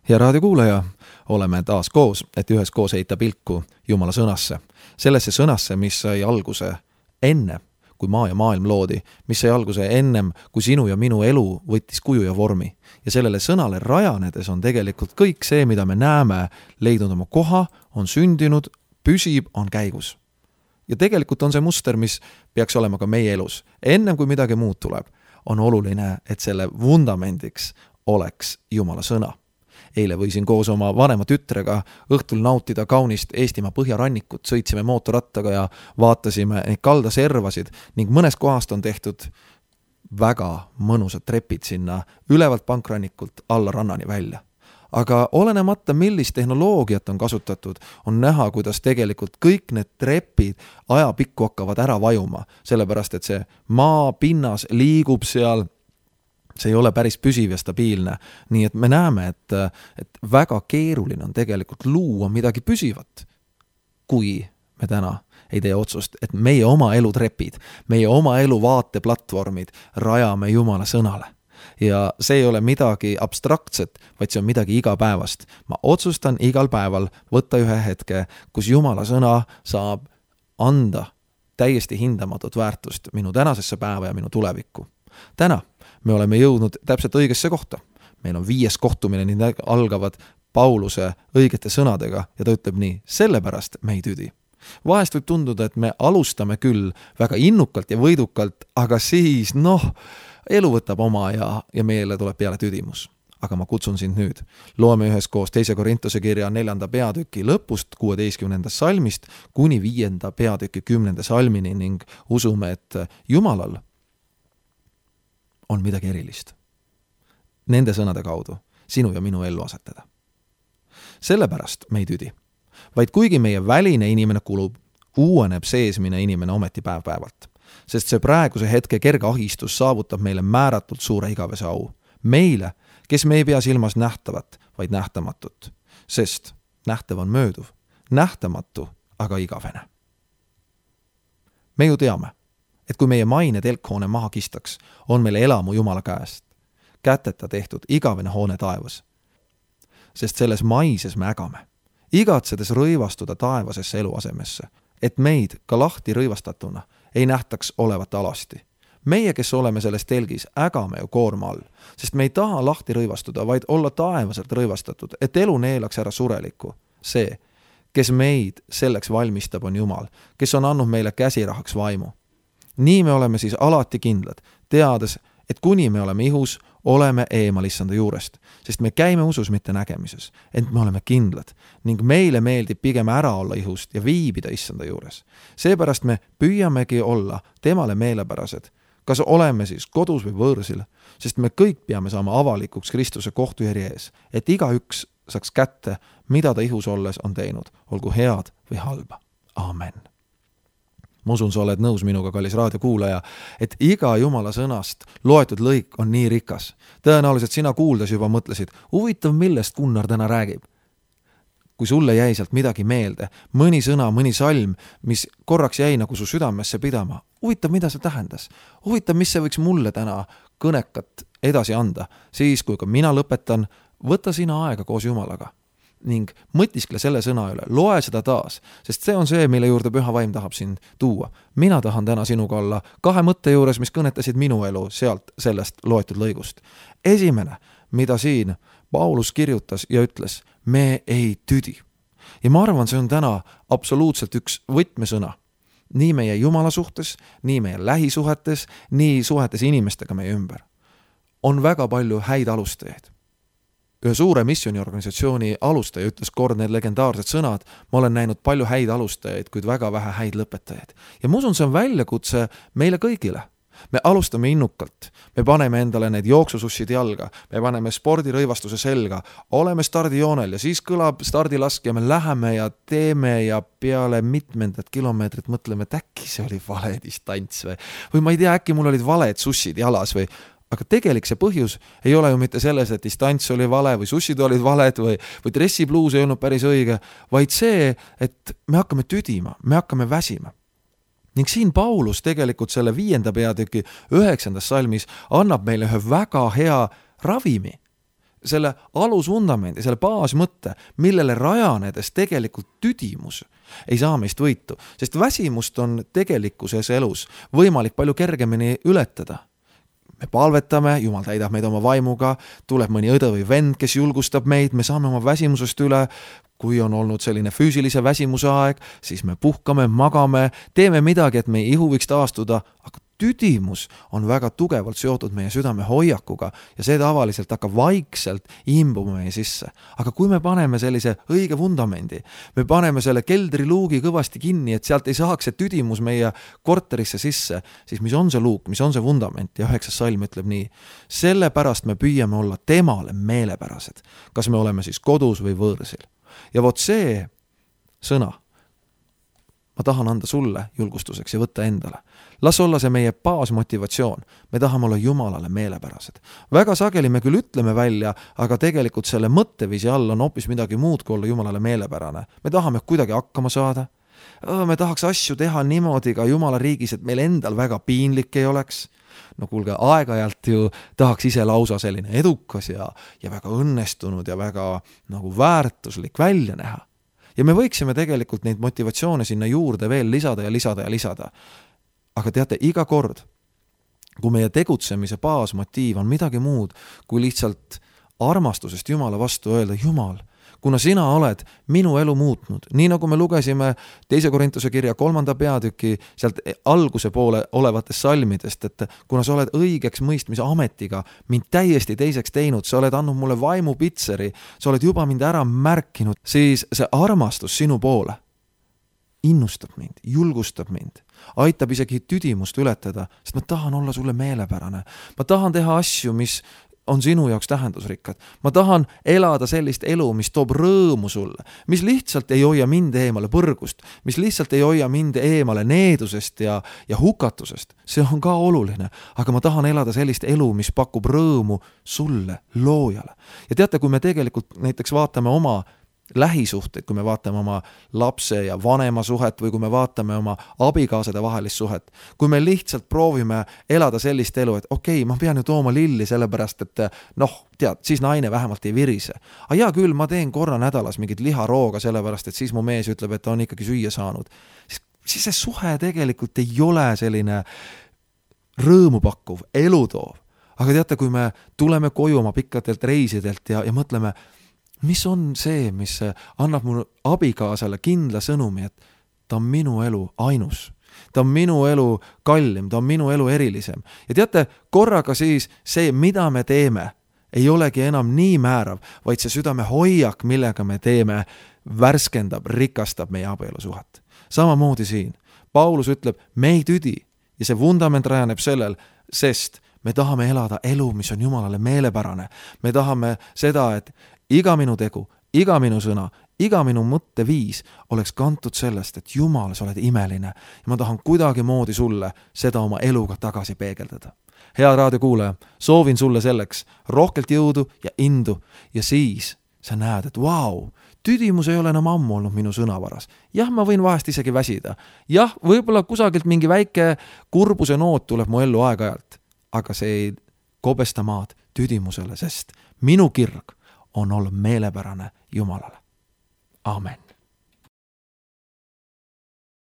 Ja raadiokuulaja, oleme taas koos, et üheskoos heita pilku Jumala sõnasse. Sellesse sõnasse, mis sai alguse enne, kui maa ja maailm loodi, mis sai alguse ennem, kui sinu ja minu elu võttis kuju ja vormi. Ja sellele sõnale rajanedes on tegelikult kõik see, mida me näeme, leidnud oma koha, on sündinud, püsib, on käigus. Ja tegelikult on see muster, mis peaks olema ka meie elus. Ennem kui midagi muud tuleb, on oluline, et selle vundamendiks oleks Jumala sõna. Eile võisin koos oma vanema tütrega õhtul nautida kaunist Eestimaa põhjarannikut, sõitsime mootorrattaga ja vaatasime neid kaldaservasid ning mõnes kohast on tehtud väga mõnusad trepid sinna ülevalt pankrannikult alla rannani välja. Aga olenemata, millist tehnoloogiat on kasutatud, on näha, kuidas tegelikult kõik need trepid ajapikku hakkavad ära vajuma, sellepärast et see maa pinnas liigub seal, see ei ole päris püsiv ja stabiilne. Nii et me näeme, et väga keeruline on tegelikult luua midagi püsivat, kui me täna ei tee otsust, et meie oma elu trepid, meie oma elu vaateplatvormid rajame Jumala sõnale. Ja see ei ole midagi abstraktset, vaid see on midagi igapäevast. Ma otsustan igal päeval võtta ühe hetke, kus Jumala sõna saab anda täiesti hindamatut väärtust minu tänasesse päeva ja minu tulevikku. Täna me oleme jõudnud täpselt õigesse kohta. Meil on 5. kohtumine, nii algavad Pauluse õigete sõnadega ja ta ütleb nii, sellepärast me ei tüdi. Vahest võib tunduda, et me alustame küll väga innukalt ja võidukalt, aga siis elu võtab oma ja meile tuleb peale tüdimus. Aga ma kutsun sind nüüd. Loeme üheskoos 2. Korintuse kirja 4. peatüki lõpust 16. salmist kuni 5. peatüki 10. salmini ning usume, et Jumalal on midagi erilist. Nende sõnade kaudu sinu ja minu ellu asetada. Sellepärast me ei tüdi, vaid kuigi meie väline inimene kulub, uueneb seesmine inimene ometi päev-päevalt. Sest see praeguse hetke kerge ahistus saavutab meile määratult suure igavese au. Meile, kes me ei pea silmas nähtavat, vaid nähtamatut. Sest nähtav on mööduv, nähtamatu aga igavene. Me ju teame, et kui meie maine telkhoone maha kistaks, on meile elamu Jumala käest. Käteta tehtud igavene hoone taevas. Sest selles maises me ägame, igatsedes rõivastuda taevasesse eluasemesse, et meid ka lahti rõivastatuna ei nähtaks olevat alasti. Meie, kes oleme selles telgis, ägame ju koorma all, sest me ei taha lahti rõivastuda, vaid olla taevaselt rõivastatud, et elu neelaks ära surelikku. See, kes meid selleks valmistab, on Jumal, kes on andnud meile käsirahaks vaimu. Nii me oleme siis alati kindlad, teades, et kuni me oleme ihus, oleme eemal issanda juurest, sest me käime usus mitte nägemises, ent me oleme kindlad ning meile meeldib pigem ära olla ihust ja viibida issanda juures. Seepärast me püüamegi olla temale meelepärased, kas oleme siis kodus või võõrsil, sest me kõik peame saama avalikuks Kristuse kohtujärje ees, et igaüks saaks kätte, mida ta ihus olles on teinud, olgu head või halba. Amen. Ma usun, sa oled nõus minuga, kallis raadiokuulaja, et iga Jumala sõnast loetud lõik on nii rikas. Tõenäoliselt sina kuuldes juba mõtlesid, huvitav, millest Gunnar täna räägib. Kui sulle jäi sealt midagi meelde, mõni sõna, mõni salm, mis korraks jäi nagu su südamesse pidama, huvitav, mida see tähendas? Huvitav, mis see võiks mulle täna kõnekat edasi anda? Siis, kui ka mina lõpetan, võta sina aega koos Jumalaga ning mõtiskle selle sõna üle, loe seda taas, sest see on see, mille juurde Püha Vaim tahab sind tuua. Mina tahan täna sinuga olla 2 mõtte juures, mis kõnetasid minu elu sealt sellest loetud lõigust. Esimene, mida siin Paulus kirjutas ja ütles, me ei tüdi. Ja ma arvan, see on täna absoluutselt üks võtmesõna. Nii meie Jumala suhtes, nii meie lähisuhetes, nii suhetes inimestega meie ümber. On väga palju häid alustajaid. Ühe suure missioniorganisatsiooni alustaja ütles kord need legendaarsed sõnad, ma olen näinud palju häid alustajaid, kuid väga vähe häid lõpetajaid. Ja ma usun, see on väljakutse meile kõigile. Me alustame innukalt, me paneme endale need jooksusussid jalga, me paneme spordirõivastuse selga, oleme stardijoonel ja siis kõlab stardilask ja me läheme ja teeme ja peale mitmendat kilomeetrit mõtleme, et äkki see oli vale distants või ma ei tea, äkki mul olid valed sussid jalas või aga tegelik see põhjus ei ole ju mitte selles, et distants oli vale või sussid olid valed või dressipluus ei olnud päris õige, vaid see, et me hakkame tüdima, me hakkame väsima. Ning siin Paulus tegelikult selle 5. peatüki 9. salmis annab meile ühe väga hea ravimi. selle alusvundamendi, selle baasmõtte, millele rajanedes tegelikult tüdimus ei saa meist võitu, sest väsimust on tegelikkuses elus võimalik palju kergemini ületada. Me palvetame, Jumal täidab meid oma vaimuga, tuleb mõni õde või vend, kes julgustab meid, me saame oma väsimusest üle. Kui on olnud selline füüsilise väsimuse aeg, siis me puhkame, magame, teeme midagi, et meie ihu võiks taastuda, aga tüdimus on väga tugevalt seotud meie südame hoiakuga ja see tavaliselt hakkab vaikselt imbuma meie sisse. Aga kui me paneme sellise õige vundamendi, me paneme selle keldriluugi kõvasti kinni, et sealt ei saaks see tüdimus meie korterisse sisse, siis mis on see luuk, mis on see vundament? Ja 9. salm ütleb nii, sellepärast me püüame olla temale meelepärased, kas me oleme siis kodus või võõrsil. Ja vot see sõna ma tahan anda sulle julgustuseks ja võtta endale. Las olla see meie baasmotivatsioon. Me tahame olla Jumalale meelepärased. Väga sageli me küll ütleme välja, aga tegelikult selle mõtteviisi all on hoopis midagi muud kui olla Jumalale meelepärane. Me tahame kuidagi hakkama saada. Me tahaks asju teha niimoodi ka Jumala riigis, et meil endal väga piinlik ei oleks. No kuulge, aeg-ajalt ju tahaks ise lausa selline edukas ja väga õnnestunud ja väga nagu väärtuslik välja näha. Ja me võiksime tegelikult neid motivatsioone sinna juurde veel lisada ja lisada ja lisada. Aga teate, iga kord, kui meie tegutsemise baasmotiiv on midagi muud, kui lihtsalt armastusest Jumala vastu öelda, Jumal, kuna sina oled minu elu muutnud, nii nagu me lugesime 2. Korintuse kirja 3. peatüki sealt alguse poole olevatest salmidest, et kuna sa oled õigeks mõistmise ametiga mind täiesti teiseks teinud, sa oled andnud mulle vaimu pitseri, sa oled juba mind ära märkinud, siis see armastus sinu poole innustab mind, julgustab mind, aitab isegi tüdimust ületada, sest ma tahan olla sulle meelepärane. Ma tahan teha asju, mis on sinu jaoks tähendusrikkad. Ma tahan elada sellist elu, mis toob rõõmu sulle, mis lihtsalt ei hoia mind eemale põrgust, mis lihtsalt ei hoia mind eemale needusest ja hukatusest. See on ka oluline, aga ma tahan elada sellist elu, mis pakub rõõmu sulle, loojale. Ja teate, kui me tegelikult näiteks vaatame oma lähisuhteid, kui me vaatame oma lapse ja vanema suhet või kui me vaatame oma abikaasade vahelist suhet, kui me lihtsalt proovime elada sellist elu, et okei, ma pean ju tooma lilli sellepärast, et tead, siis naine vähemalt ei virise. Aga hea küll, ma teen korra nädalas mingit liharooga sellepärast, et siis mu mees ütleb, et ta on ikkagi süüa saanud. Siis see suhe tegelikult ei ole selline rõõmupakkuv, elutoov. Aga teate, kui me tuleme koju oma pikkadelt reisidelt ja mõtleme, mis on see, mis annab mu abikaasale kindla sõnumi, et ta on minu elu ainus. Ta on minu elu kallim, ta on minu elu erilisem. Ja teate, korraga siis see, mida me teeme, ei olegi enam nii määrav, vaid see südame hoiak, millega me teeme, värskendab, rikastab meie abielusuhet. Samamoodi siin. Paulus ütleb, me ei tüdi ja see vundament rajaneb sellel, sest me tahame elada elu, mis on Jumalale meelepärane. Me tahame seda, et iga minu tegu, iga minu sõna, iga minu mõtteviis oleks kantud sellest, et Jumal, sa oled imeline ja ma tahan kuidagi moodi sulle seda oma eluga tagasi peegeldada. Hea raadiokuulaja, soovin sulle selleks rohkelt jõudu ja indu ja siis sa näed, et vau, tüdimus ei ole enam ammu olnud minu sõnavaras. Jah, ma võin vahest isegi väsida. Jah, võib-olla kusagilt mingi väike kurbuse noot tuleb mu ellu aeg-ajalt, aga see ei kobesta maad tüdimusele, sest minu kirg on olla meelepärane Jumalale. Amen.